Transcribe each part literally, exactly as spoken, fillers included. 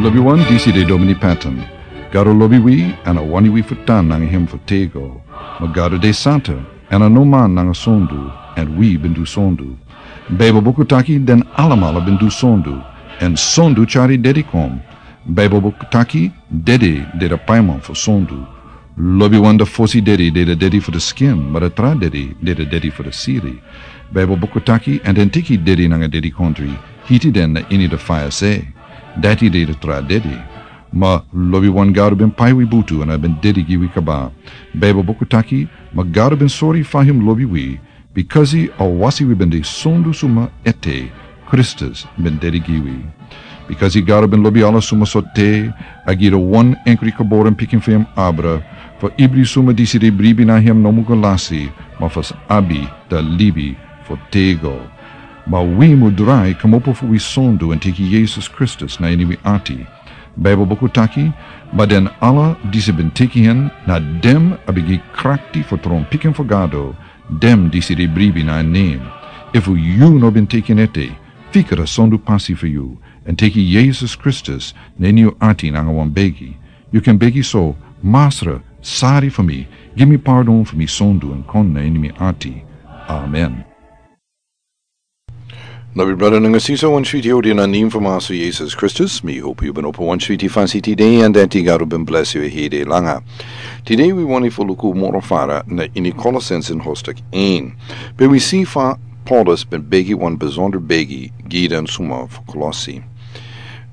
Lobi wan, disi de Domini Patton. Gado lobi wi, èn a wani wi fu tan nanga hem fu tego. Ma Gado de santa, èn a no man nanga sondu, èn wi ben du sondu. Baibel buku taki den alamala ben du sondu, èn sondu tyari dedi kon. Baibel buku taki dedi de de paiman fu sondu. Lobi wan, de fosi dedi de de dedi fu de skin, ma de tra dedi de de dedi fu de siri. Baibel buku taki, èn den teki dedi nanga dedikontri, hiti den na ini de faya se. Dati de de tra dedi. Ma lobi wan, Gado ben pai wi butu èn a ben dedi gi wi kaba. Baibel buku taki, ma Gado ben sori fa hem lobi wi, bikasi a wasi wi ben de sondu suma ete, Kristus ben dedi gi wi. Bikasi Gado ben lobi ala suma so te, a gi de wan enkri geboren pikin fu hem abra, fu ibri suma disi de bribi na hem no mu go lasi, ma fu sa abi de libi fu tego. Ma wi mu drai kmopo fu wi sondu èn teki Yesus Kristus na ini wi ati. Baibel buku taki, ma den ala disi ben teki hen, na den a ben gi krakti fu tron pikin fu Gado, den disi de bribi na en nen. Efu yu no ben teki en ete, fika de sondu pasi fu yu, èn teki Yesus Kristus na ini yu ati nanga wan begi. Yu kan begi so: Masra, sari fu mi, gi mi pardon fu mi sondu èn kon na ini mi ati. Amen. Lobi brada nanga sisa, wan switi odi na nen fu Masra Yesus Kristus. Mi hopu yu ben opo wan switi fasi tide, èn dati Gado ben blesi yu hede langa. Tide wi wani fu luku moro fara na ini Kolosense hostak en. Pe wi si fa Paulus ben begi wan besonder begi gi den suma fu Kolosi.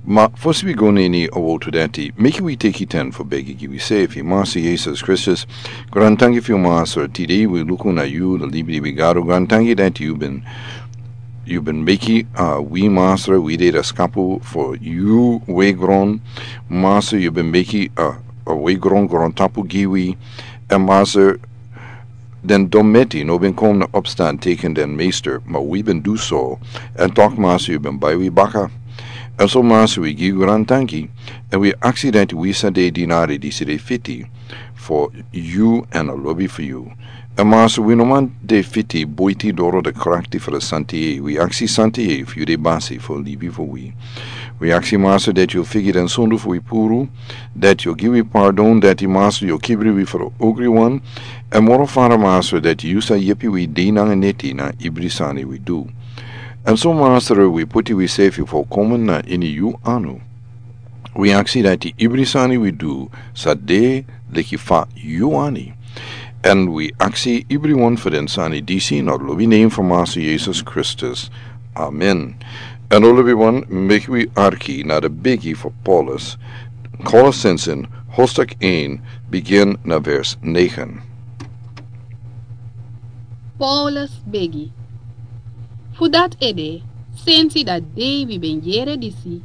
Ma fosi wi go na ini a wotu dati, meki wi teki ten fu begi gi wi sefi. Masra Yesus Kristus, grantangi fu yu Masra, tide wi luku na yu, de libi di wi Gado. Grantangi dati yu ben, yu ben meki, a, wi Masra, wi de de skapu fu yu wei gron. Masra, yu ben meki, a, a wei gron grontapu gi wi. Èn Masra, den dometi no ben kon na opstan teki den Meester, ma wi ben du so, èn tok Masra yu ben bai wi baka. Èn so Masra wi gi yu grantangi, èn wi aksi dati wi sa de dinari disi de fiti fu yu èn a lobi fu yu. Èn Masra wi no man de fiti buiti doro de krakti fu de santa yeye. Wi aksi santa yeye fu yu de basi fu libi fu wi. Wi aksi Masra dati yu figi den sondu fu wi puru, dati yu gi wi pardon, dati Masra yu kibri wi fu de ogri wan, èn moro fara Masra dati yu sa yepi wi de nanga neti na ibri sani wi du. Èn so Masra wi puti wi sefi fu komen na ini yu anu. Wi aksi dati ibri sani wi du sa de leki fa yu wani. Èn wi aksi ibriwan fu den sani disi na lobi nen fu Masra Yesus Kristus. Amen. Èn o lobiwan, meki wi arki na de begi fu Paulus. Kolosense hostak en, bigin na vers negen. Paulus begi. Fu dati ede, sensi da dei wi ben yere disi,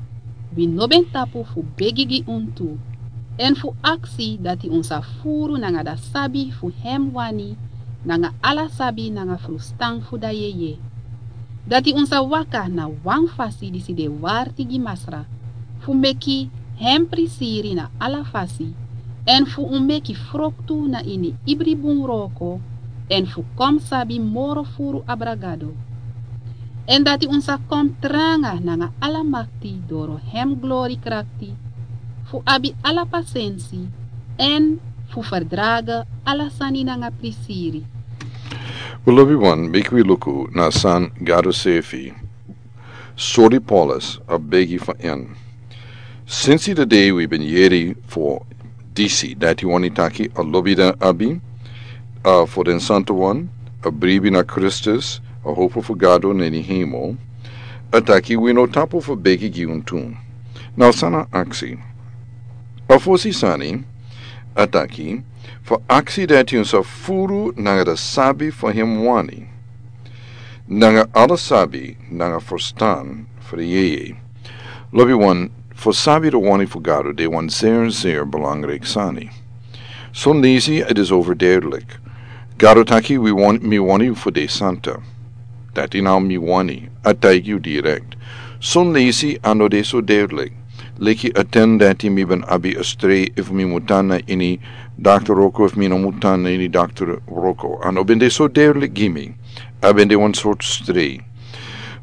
wi no ben tapu fu begi gi un tu, èn fu aksi dati un sa furu nanga da sabi fu hem wani, nanga ala sabi nanga frustan fu da yeye. Dati un sa waka na wan fasi disi de warti gi Masra, fu meki hem prisiri na ala fasi, èn fu un meki froktu na ini ibri bun wroko, èn fu kon sabi moro furu abra Gado. Èn dati un sa kon tranga nanga ala makti doro hem glori krakti, fu abi ala pasensi, èn fu ferdrage ala sani nanga prisiri. Wi lobiwan, meki wi luku na san Gado sefi sori Paulus a begi fu en. Sensi da dei wi ben yere fu disi, dati wani taki a lobi den abi, a, fu den santuwan, a bribi na Kristus, a hopu fu Gado na ini hemel, a taki wi no tapu fu begi gi un tu. Now san a aksi. A fosi sani, a taki, fu aksi dati un sa furu nanga da sabi fu hem wani, nanga ala sabi nanga frustan fu da yeye. Lobiwan, fu sabi da wani fu Gado de wan zeer, zeer belangrijk sani. Son leisi a de so overduidelijk. Gado taki wi wan, mi wani fu de santa. Dati now mi wani, a taigi yu direkt. Son leisi a no de so duidelijk. Leki a ten dati mi ben abi a strei efu mi mutan na ini dokter wroko efu mi no mutan na ini dokter wroko. A no ben de so duidelijk gi mi. A ben de wan sortu strei.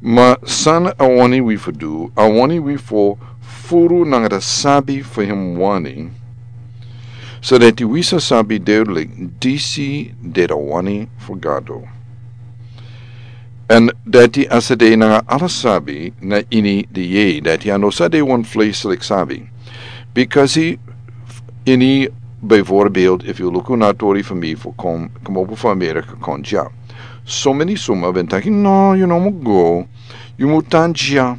Ma san a wani wi fu du, a wani wi fu furu nanga da sabi fu him wani, so dati wi sa sabi duidelijk disi de da wani fu Gado. En dati a sa de nanga ala sabi na ini di yeye, dati a no sa de wan fleshlik sabi. Because ini, bijvoorbeeld, if you luku na tori fu mi fu kon, kon opo fu Amerika kon dya. So many suma ben taki, no, yu no mu go, yu mu tan dya,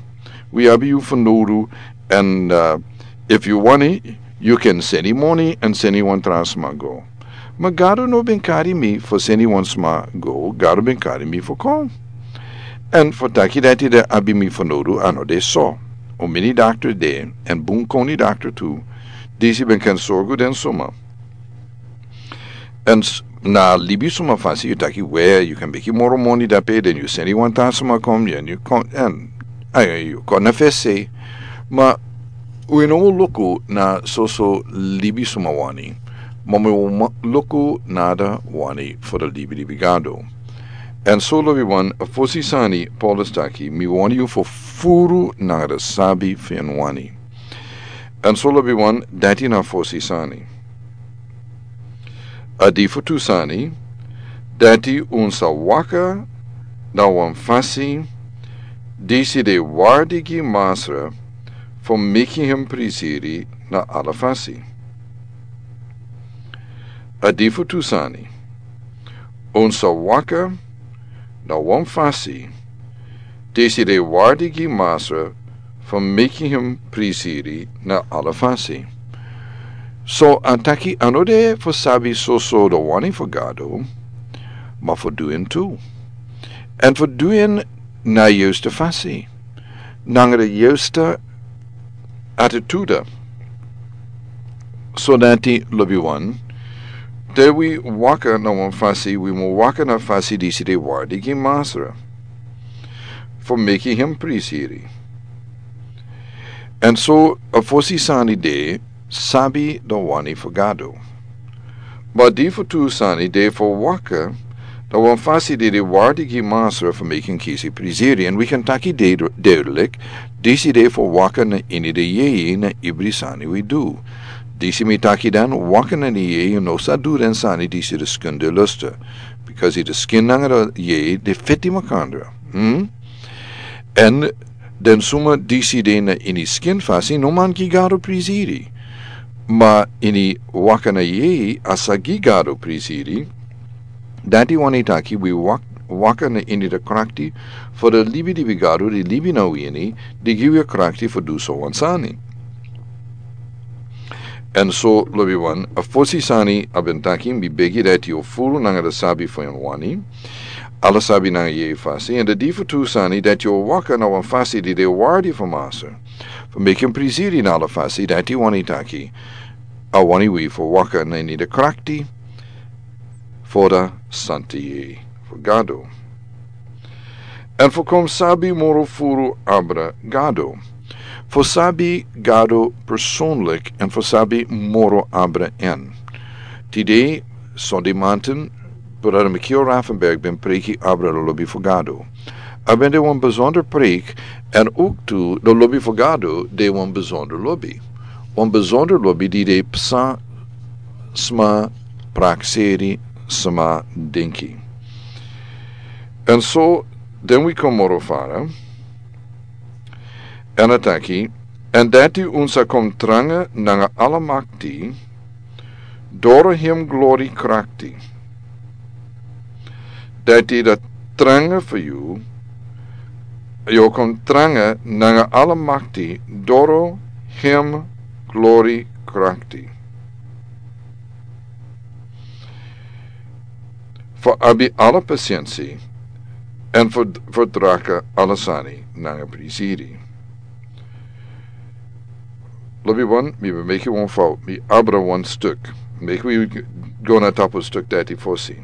wi abi yu fanowdu, en, uh, if yu wani, yu kan seni moni, en seni wan tra sma go. Ma Gado no ben kari mi fu seni wan sma go, Gado ben kari mi fu kon. En fu taki dati de abi mi fanowdu, a no de so. Un mini dakter de, en bun koni dakter tu, disi ben kan sorgu den suma. En s-, na libi suma fasi yu taki we, yu kan meki moro moni dape, den yu seni wan tra suma kon, en yu kon, en, a, yu kon na fesi. Ma wi no mu luku na soso libi suma wani. Ma wi mu luku na da wani fu da libi libi Gado. En so lobiwan, a fosi sani Paulus taki, mi wani yu fu furu nanga da sabi fu en wani. En so lobiwan, dati na fosi sani. A di fu tu sani, dati un sa waka na wan fasi disi de wardi gi Masra fu meki him prisiri na ala fasi. A di fu tu sani, un sa waka na wan fasi disi de wardi gi Masra fu meki him prisiri na ala fasi. So a taki a no de fu sabi soso da wani fu Gado, ma fu du en tu. En fu du en na yusta fasi. Nanga da yusta atituda. So dati lobiwan, te wi waka na wan fasi, wi mu waka na fasi disi de wardi gi Masra fu meki him prisiri. En so a fosi sani de sabi da wani fu Gado. Ma di fu tu sani de fu waka na wan fasi di de wardi gi Masra fu meki him kisi prisiri. En wi kan taki de duidelijk, disi de fu waka na ini di yeye na ibri sani wi du. Disi mi taki dan, waka na ini yeye no sa du den sani disi de skin de lusta. Because i de skin nanga da yeye de feti makandra. Hmm? En den suma disi de na ini skin fasi no man gi Gado prisiri. Ma ini waka na yeye a sa gi Gado prisiri. Dati wani taki wi wak-, waka na ini da krakti fu da libi libi Gado di libi na wi ini, di gi wi a krakti fu du so wan sani. En so lobiwan, a fosi sani a ben taki, mi begi dati yu furu nanga da sabi fu en wani, ala sabi nanga yeye fasi, en da di fu tu sani dati yu waka na wan fasi di de wardi fu Masra fu meki him prisiri na ala fasi, dati wani taki a wani wi fu waka na ini da krakti fu da santa yeye fu Gado. En fu kon sabi moro furu abra Gado. Fu sabi Gado personlik en fu sabi moro abra en. Tide, Sunday manten, Brada Michiel Raffenberg ben preki abra da lobi fu Gado. A ben de wan besonder preek, en ook tu da lobi fu Gado de wan besonder lobi. Wan besonder lobi di de psa sma prakseri sma dinki. En so, den wi kon moro fara, en a taki, en dati un sa kon tranga nanga ala makti, doro hem glori krakti. Dati da tranga fu yu, yu kon tranga nanga ala makti, doro hem glori krakti. Fu abi ala pasiensi, en fu, fu draka ala sani nanga prisiri. Lobiwan, mi ben meki wan fout, mi abra wan stuk. Meki wi go na tapu stuk dati fosi.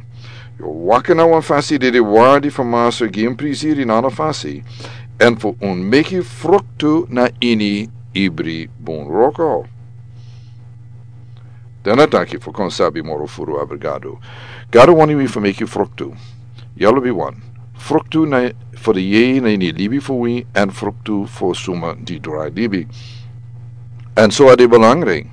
Yu waka na wan fasi di de wardi fu Masra gi en prisiri na ala fasi, en fu un meki fruktu na ini ibri bun wroko. Dan a taki fu kon sabi moro furu abra Gado. Gado wani wi fu meki fruktu. Ya lobiwan. Fruktu na fu de yeye na ini libi fu wi, èn fruktu fu suma di drai libi. Èn so a de belangrijk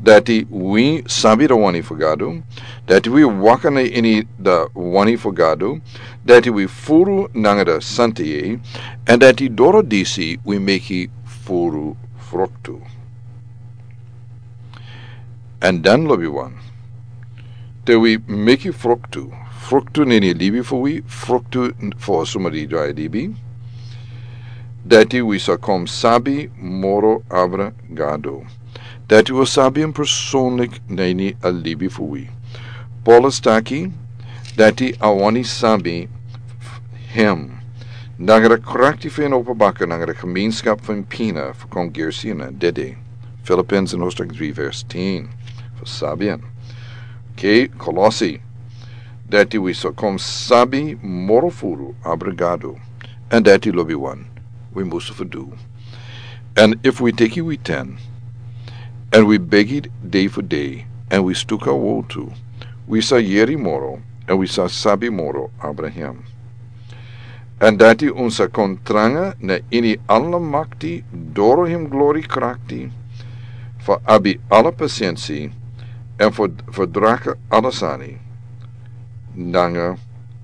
dati wi sabi de wani fu Gado, dati wi waka na ini de wani fu Gado, dati wi furu nanga de santa yeye, èn dati doro disi wi meki furu fruktu. Èn dan lobi wan, te wi meki fruktu, fruktu na ini libi fu wi, fruktu fu suma di drai libi, dati wi sa kon sabi moro abra Gado. Dati wi sabi en personlik na ini a libi fu wi. Paulus taki dati a wani sabi hem nanga de krakti fu en opo baka nanga de gemeenschap fu en pina fu kon gersi na dede. Philippians in hoofdstuk drie vers tien. Fu sabi en. Oké, Kolosi. Dati wi sa kon sabi moro furu abra Gado. Èn dati lobi wan, wi musu fu du. Èn efu wi teki wi ten, èn wi begi dei fu dei, èn wi stuka wotu, wi sa yeri moro, èn wi sa sabi moro abra hem. Èn dati un sa kon tranga na ini ala makti doro hem glori krakti, fu abi ala pasensi, èn fu, fu draka ala sani nanga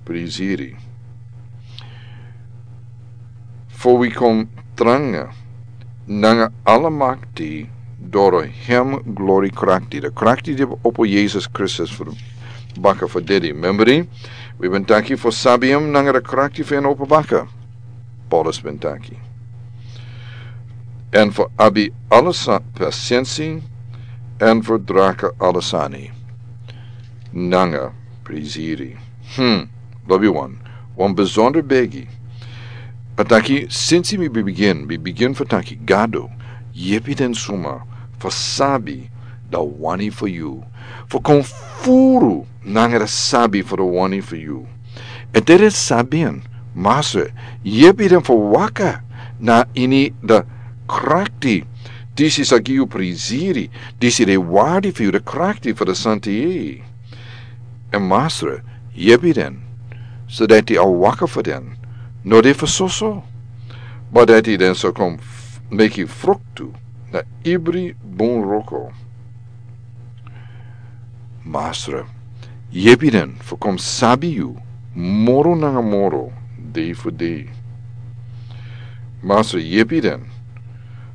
prisiri. Fu wi kon tranga nanga ala makti doro hem glori krakti. De krakti di opo Yesus Kristus fu baka fu dede. Membri, wi ben taki fu sabi hem nanga de krakti fu en opo baka. Paulus ben taki. Èn fu abi ala sa-, pasensi, èn fu draka ala sani nanga prisiri. Hmm, lobi wan, wan besonder begi. A taki, sinsi mi bigin, mi bigin fu taki, Gado, yepi den suma fu sabi de wani fu yu, fu kon furu nanga de sabi fu de wani fu yu. Èn te den sabi en, Masra, yepi den fu waka na ini de krakti disi sa gi yu prisiri, disi de wardi fu yu, de krakti fu de santa yeye. Èn Masra, yepi den, so dati a waka fu den no de fu soso, ma dati den sa kon f-, meki fruktu na ibri bun wroko. Masra, yepi den fu kon sabi yu moro nanga moro, dei fu dei. Masra, yepi den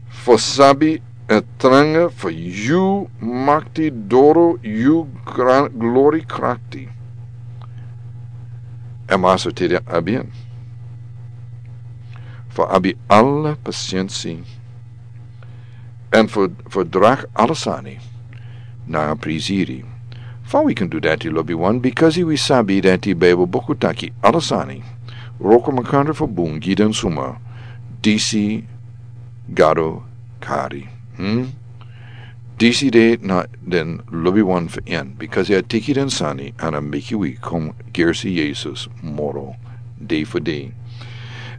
fu sabi e tranga fu yu makti doro yu gran-, glori krakti. Èn Masra, te den abi en, fu abi ala pasensi, èn fu, fu draka ala sani nanga prisiri. Fa wi kan du dati, lobi wan? Bikasi wi sabi dati Bijbel buku taki ala sani wroko makandra fu bun gi den suma disi Gado kari. Hmm? Disi de na den lobi wan fu en, bikasi a teki den sani, èn a meki wi kon gersi Yesus moro dei fu dei.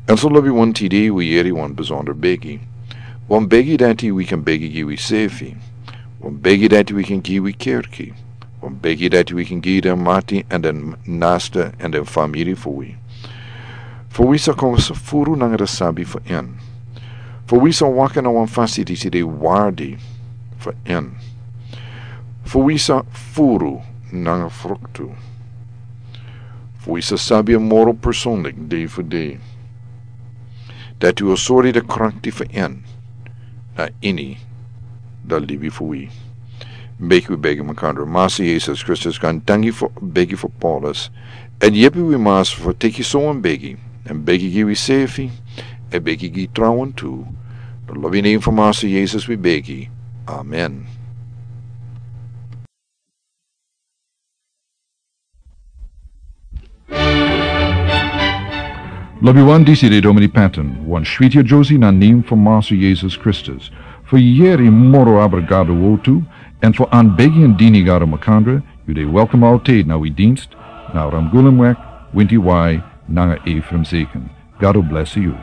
Èn so lobi wan, tide wi yeri wan besonder begi. Wan begi dati wi kan begi gi wi sefi. Wan begi dati wi kan gi wi kerki. Wan begi dati wi kan gi den mati èn den nasta èn den famiri fu wi. Fu wi sa kon sa furu nanga de sabi fu en. Fu wi sa waka na wan fasi disi de wardi fu en. Fu wi sa furu nanga fruktu. Fu wi sa sabi en moro personlik dei fu dei. Dati wi o sori de krakti fu en na ini de libi fu wi. Meki wi begi makandra. Masra Yesus Kristus, kon danki fu begi fu Paulus. Èn yepi wi Masra fu teki so wan begi. Èn begi gi wi sefi. Èn begi gi trawan tu. Na lobi nen fu Masra Yesus wi begi. Amen. Lobi wan, disi de Domini Patton, wan switi a Josie na nen fu Masra Yesus Kristus. Fu yeri moro abra Gado wotu, èn fu anbegi èn dini Gado makandra, yu de welkom altijd na wi dienst, na Ramgulumweg, winti wai, nanga Ephraim Zeken. Gado blesi yu.